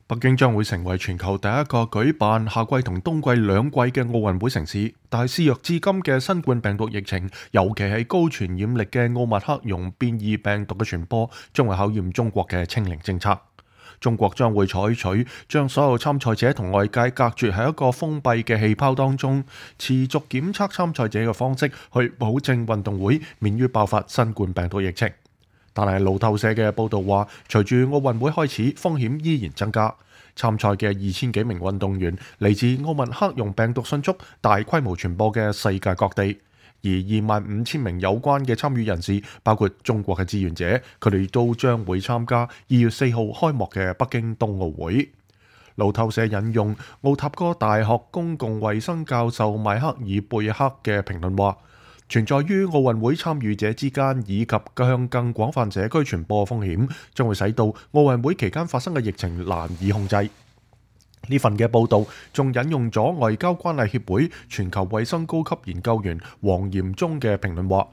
北京將會成為全球第一個舉辦夏季同冬季兩季嘅奧運會城市，但係肆虐至今嘅新冠病毒疫情，尤其係高傳染力嘅奧密克戎變異病毒嘅傳播，將會考驗中國嘅清零政策。中國將會採取將所有參賽者同外界隔絕喺一個封閉嘅氣泡當中，持續檢測參賽者嘅方式，去保證運動會免於爆發新冠病毒疫情。但係路透社嘅報導話，隨住奧運會開始，風險依然增加。參賽嘅2000幾名運動員嚟自奧密克戎病毒迅速大規模傳播嘅世界各地，而25000名有關嘅參與人士，包括中國嘅志願者，佢哋都將會參加2月4號開幕嘅北京冬奧會。路透社引用奧塔哥大學公共衛生教授邁克爾貝克嘅評論話，存在於奧運會參與者之間以及向更廣泛社區傳播風險，將會使到奧運會期間發生嘅疫情難以控制。呢份嘅報導仲引用咗外交關係協會全球衛生高級研究員黃炎忠嘅評論話，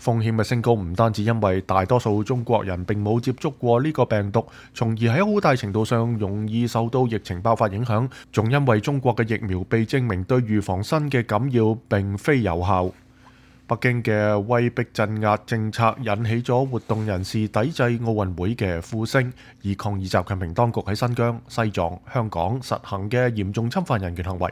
風險嘅升高唔單止因為大多數中國人並冇接觸過呢個病毒，從而喺好大程度上容易受到疫情爆發影響，仲因為中國嘅疫苗被證明對預防新嘅感染並非有效。北京嘅威逼鎮壓政策引起咗活動人士抵制奧運會嘅呼聲，以抗議習近平當局喺新疆、西藏、香港實行嘅嚴重侵犯人權行為。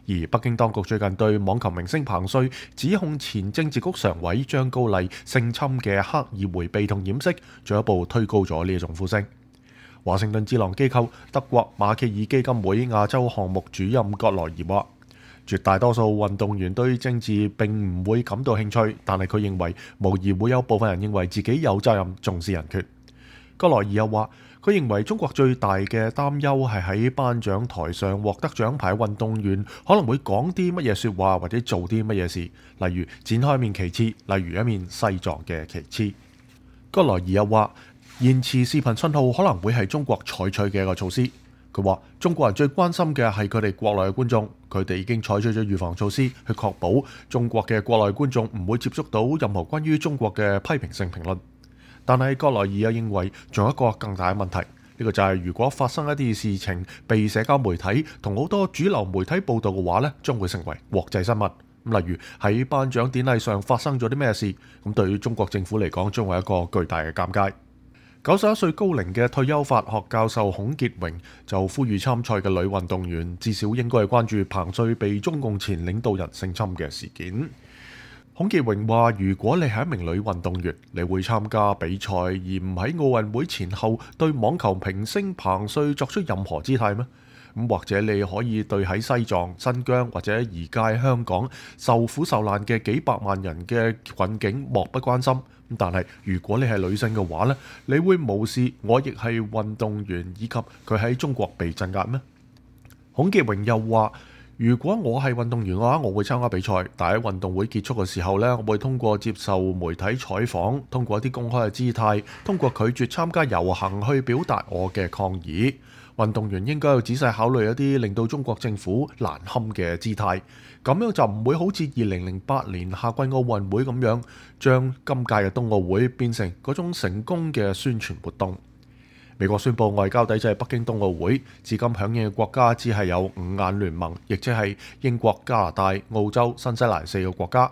而北京當局最近對網球明星彭帥指控前政治局常委張高麗性侵嘅刻意迴避同掩飾，進一步推高咗呢一種呼聲。華盛頓智囊機構德國馬歇爾基金會亞洲項目主任葛萊爾話，絕大多數運動員對政治並唔會感到興趣，但係佢認為無疑會有部分人認為自己有責任重視人權。葛萊爾又話，佢認為中國最大嘅擔憂係喺頒獎台上獲得獎牌運動員可能會講啲乜嘢説話或者做啲乜嘢事，例如展開一面旗幟，例如一面西藏嘅旗幟。葛萊爾又話，延遲視頻信號可能會係中國採取嘅一個措施。佢話：中國人最關心嘅係佢哋國內嘅觀眾，佢哋已經採取咗預防措施去確保中國嘅國內觀眾唔會接觸到任何關於中國嘅批評性評論。但係葛萊爾又認為仲有一個更大嘅問題，呢個就係如果發生一啲事情被社交媒體同好多主流媒體報導嘅話呢，將會成為國際新聞。例如喺頒獎典禮上發生咗啲咩事，咁對於中國政府嚟講將會係一個巨大嘅尷尬。91歲高齡嘅退休法學教授孔傑榮就呼籲參賽嘅女運動員至少應該係關注彭帥被中共前領導人性侵嘅事件。孔傑榮話：如果你係一名女運動員，你會參加比賽而唔喺奧運會前後對網球明星彭帥作出任何姿態咩？咁或者你可以對喺西藏、新疆或者而家香港受苦受難嘅幾百萬人嘅困境漠不關心。但係如果你係女性嘅話呢，你會無視我亦係運動員以及佢喺中國被鎮壓咩？孔傑榮又話：如果我係運動員嘅話，我會參加比賽，但喺運動會結束嘅時候呢，我會通過接受媒體採訪，通過一啲公開嘅姿態，通過拒絕參加遊行去表達我嘅抗議。運動員應該要仔細考慮一啲令到中國政府難堪嘅姿態，咁樣就唔會好似2008年夏季奧運會咁樣，將今屆嘅冬奧會變成嗰種成功嘅宣傳活動。美國宣布外交抵制北京冬奧會，至今響應嘅國家只係有5眼聯盟，亦即係英國、加拿大、澳洲、新西蘭4個國家，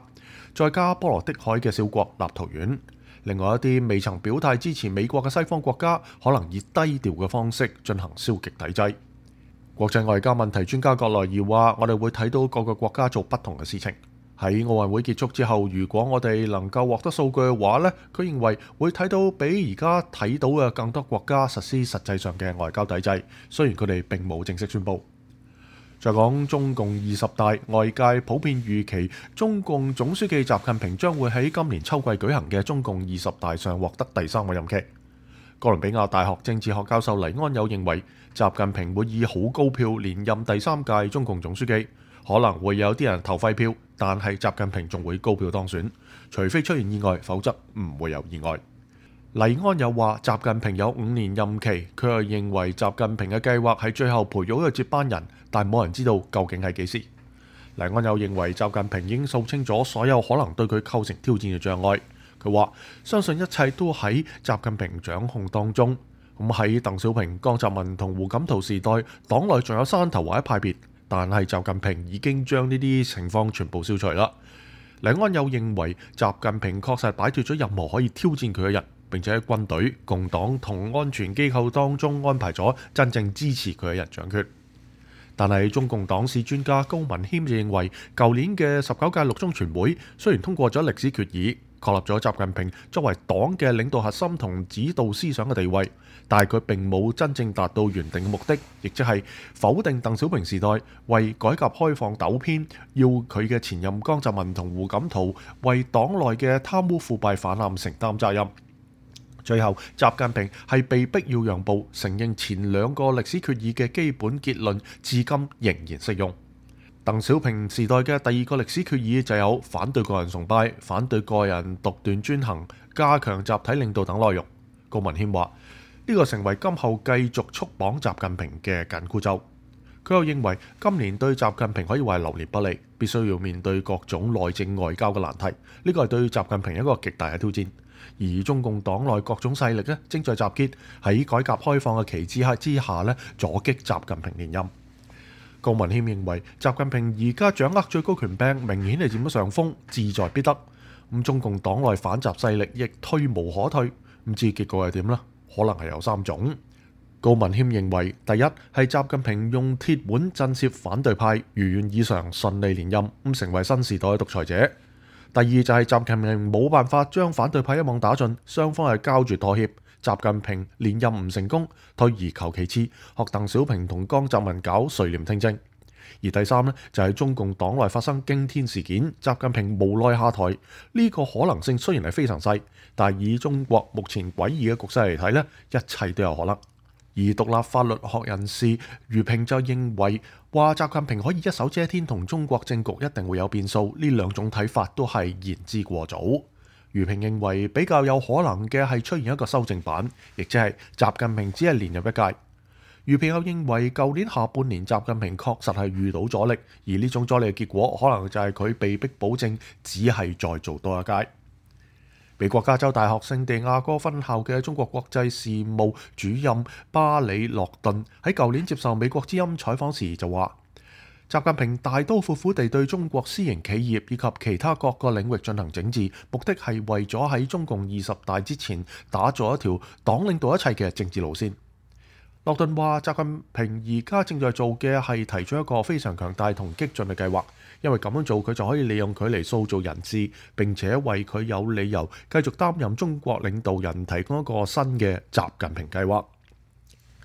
再加波羅的海嘅小國立陶宛。另外一啲未曾表態支持美國嘅西方國家，可能以低調嘅方式進行消極抵制。國際外交問題專家葛萊爾話：我哋會睇到各個國家做不同嘅事情。喺奧運會結束之後，如果我哋能夠獲得數據嘅話呢，佢認為會睇到比而家睇到嘅更多國家實施實際上嘅外交抵制，雖然佢哋並冇正式宣佈。再講中共20大，外界普遍預期中共總書記習近平將會喺今年秋季舉行嘅中共20大上獲得第3個任期。哥倫比亞大學政治學教授黎安友認為，習近平會以好高票連任第3屆中共總書記，可能會有啲人投廢票，但係習近平仲會高票當選，除非出現意外，否則唔會有意外。黎安友話：習近平有5年任期，佢又認為習近平嘅計劃係最後培育一個接班人，但冇人知道究竟係幾時。黎安友認為習近平已經掃清咗所有可能對佢構成挑戰嘅障礙。佢話：相信一切都喺習近平掌控當中。咁喺鄧小平、江澤民同胡錦濤時代，黨內仲有山頭或者派別，但係習近平已經將呢啲情況全部消除啦。黎安友認為，習近平確實擺脫咗任何可以挑戰佢嘅人，並且喺軍隊、共黨同安全機構當中安排咗真正支持佢嘅人掌權。但係中共黨史專家高文謙就認為，舊年嘅19屆六中全會雖然通過咗歷史決議，確立咗習近平作為黨嘅領導核心同指導思想嘅地位，但係佢並冇真正達到原定嘅目的，亦即係否定鄧小平時代為改革開放糾偏，要佢嘅前任江澤民同胡錦濤為黨內嘅貪污腐敗泛濫承擔責任。最後，習近平係被逼要讓步，承認前兩個歷史決議嘅基本結論至今仍然適用。鄧小平時代嘅第二個歷史決議就有反對個人崇拜、反對個人獨斷專行、加強集體領導等內容。高文謙話：呢個成為今後繼續束綁習近平嘅緊箍咒。佢又認為今年對習近平可以話係流年不利，必須要面對各種內政外交嘅難題。呢個係對習近平一個極大嘅挑戰。而中共黨內各種勢力咧正在集結喺改革開放嘅旗幟之下咧阻擊習近平連任。高文謙認為習近平而家掌握最高權柄，明顯係佔咗上風，志在必得。咁中共黨內反習勢力亦退無可退。唔知結果係點呢？可能係有三種。高文謙認為，第一係習近平用鐵腕震懾反對派，如願以償順利連任，咁成為新時代嘅獨裁者。第二就係習近平冇辦法將反對派一網打盡，雙方係膠著妥協，習近平連任唔成功，退而求其次，學鄧小平同江澤民搞垂簾聽政。而第三呢，就係中共黨內發生驚天事件，習近平無奈下台。呢個可能性雖然係非常細，但係以中國目前詭異嘅局勢嚟睇呢，一切都有可能。而獨立法律學人士余平就認為，話習近平可以一手遮天同中國政局一定會有變數，呢兩種睇法都係言之過早。余平認為比較有可能嘅係出現一個修正版，亦即係習近平只係連任一屆。余平又認為舊年下半年習近平確實係遇到阻力，而呢種阻力嘅結果可能就係佢被逼保證只係再做多一屆。美國加州大學聖地亞哥分校嘅中國國際事務主任巴里諾頓喺舊年接受美國之音採訪時就話，習近平大刀闊斧地對中國私營企業以及其他各個領域進行整治，目的係為咗喺中共20大之前打造一條黨領導一切嘅政治路線。諾頓話，習近平而家正在做嘅係提出一個非常強大同激進嘅計劃，因為咁樣做佢就可以利用佢嚟塑造人質，並且為佢有理由繼續擔任中國領導人提供一個新嘅習近平計劃。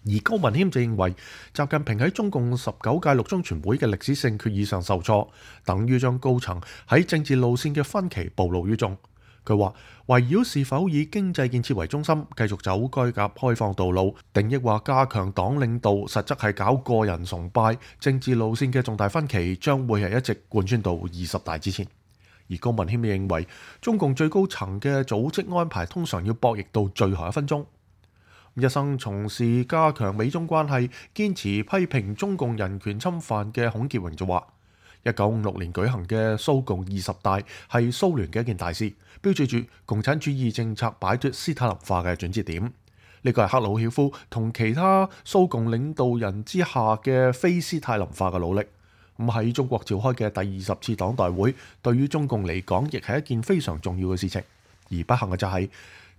而高文謙就認為，習近平喺中共19屆六中全會嘅歷史性決議上受挫，等於將高層喺政治路線嘅分歧暴露於眾。佢話圍繞是否以經濟建設為中心，繼續走改革開放道路，定抑或加強黨領導，實則係搞個人崇拜，政治路線嘅重大分歧將會係一直貫穿到20大之前。而高文謙認為，中共最高層嘅組織安排通常要博弈到最後一分鐘。一生從事加強美中關係、堅持批評中共人權侵犯嘅孔傑榮就話：1956年舉行嘅蘇共20大係蘇聯嘅一件大事，標誌住共產主義政策擺脫斯大林化嘅轉折點。呢個係赫魯曉夫同其他蘇共領導人之下嘅非斯大林化嘅努力。咁喺中國召開嘅第20次黨代會，對於中共嚟講，亦係一件非常重要嘅事情。而不幸嘅就係，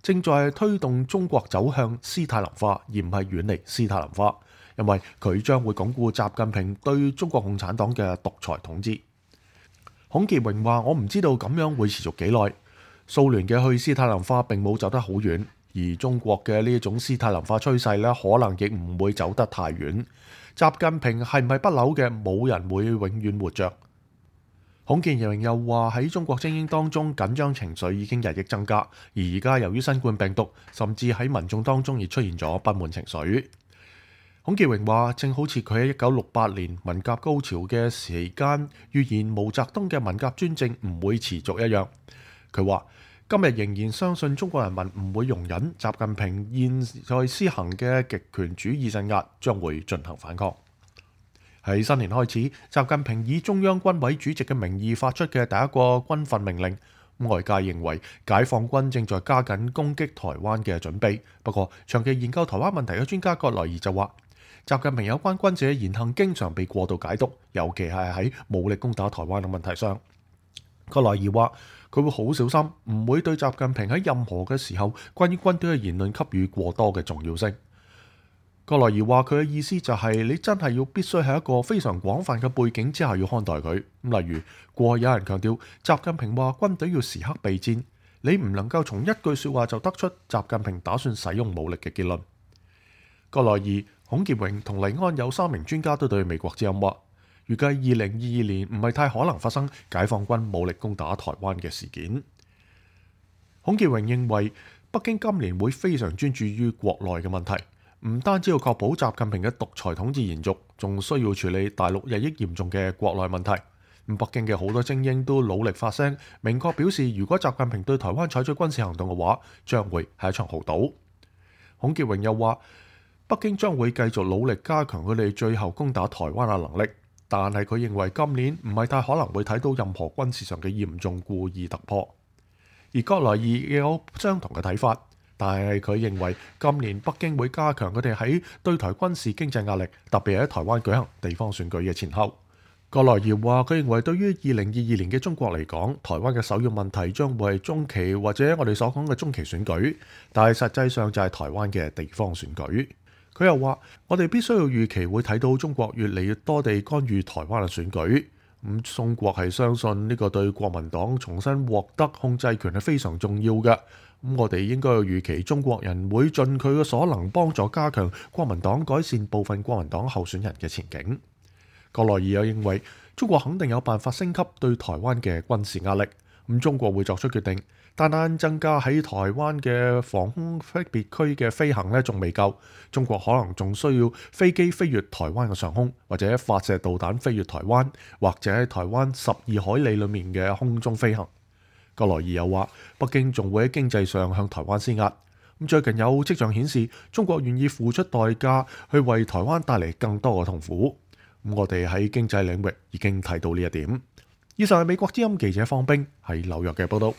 正在推動中國走向斯大林化，而唔係遠離斯大林化，因為佢將會鞏固習近平對中國共產黨嘅獨裁統治。孔傑榮話：我唔知道咁樣會持續幾耐。蘇聯嘅去斯大林化並冇走得好遠，而中國嘅呢一種斯大林化趨勢咧，可能亦唔會走得太遠。習近平係唔係不朽嘅？冇人會永遠活着。孔傑榮又話，喺中國精英當中，緊張情緒已經日益增加，而家由於新冠病毒，甚至喺民眾當中亦出現咗不滿情緒。孔傑榮話，正好似佢喺1968年文革高潮嘅時間預言毛澤東嘅文革專政唔會持續一樣。佢話今日仍然相信中國人民唔會容忍習近平現在施行嘅極權主義鎮壓，將會進行反抗。喺新年開始，習近平以中央軍委主席嘅名義發出嘅第一個軍訓命令，外界認為解放軍正在加緊攻擊台灣嘅準備。不過，長期研究台灣問題嘅專家葛萊爾就話，習近平有關軍事嘅言行經常被過度解讀，尤其係喺武力攻打台灣嘅問題上。葛萊爾話，佢會好小心，唔會對習近平喺任何嘅時候關於軍隊嘅言論給予過多嘅重要性。葛萊爾話，佢嘅意思就係你真係要必須喺一個非常廣泛嘅背景之下要看待佢。例如，過去有人強調習近平話軍隊要時刻備戰，你唔能夠從一句說話就得出習近平打算使用武力嘅結論。葛萊爾、孔傑榮同黎安有3名專家都對美國之音話，預計2022年唔係太可能發生解放軍武力攻打台灣嘅事件。孔傑榮認為，北京今年會非常專注於國內嘅問題，唔單止要確保習近平嘅獨裁統治延續，仲需要處理大陸日益嚴重嘅國內問題。北京嘅好多精英都努力發聲，明確表示，如果習近平對台灣採取軍事行動嘅話，將會係一場豪賭。孔傑榮又話，北京將會繼續努力加強佢哋最後攻打台灣嘅能力，但係佢認為今年唔係太可能會睇到任何軍事上嘅嚴重故意突破。而葛萊爾亦有相同嘅睇法，但係佢認為今年北京會加強佢哋喺對台軍事經濟壓力，特別喺台灣舉行地方選舉嘅前後。葛萊爾話，佢認為對於2022年嘅中國嚟講，台灣嘅首要問題將會係中期或者我哋所講嘅中期選舉，但係實際上就係台灣嘅地方選舉。佢又話，我哋必須要預期會睇到中國越嚟越多地干預台灣嘅選舉。中國係相信呢個對國民黨重新獲得控制權係非常重要嘅。我哋應該要預期中國人會盡佢嘅所能幫助加強國民黨，改善部分國民黨候選人嘅前景。葛萊爾又認為，中國肯定有辦法升級對台灣嘅軍事壓力。中國會作出決定，單增加喺台灣嘅防空識別區嘅飛行呢，仲未夠。中國可能仲需要飛機飛越台灣嘅上空，或者發射導彈飛越台灣，或者喺台灣12海里裏面嘅空中飛行。葛萊爾又話，北京仲會喺經濟上向台灣施壓。最近有跡象顯示，中國願意付出代價去為台灣帶嚟更多嘅痛苦。我哋喺經濟領域已經睇到呢一點。以上係美國之音記者方冰喺紐約嘅報道。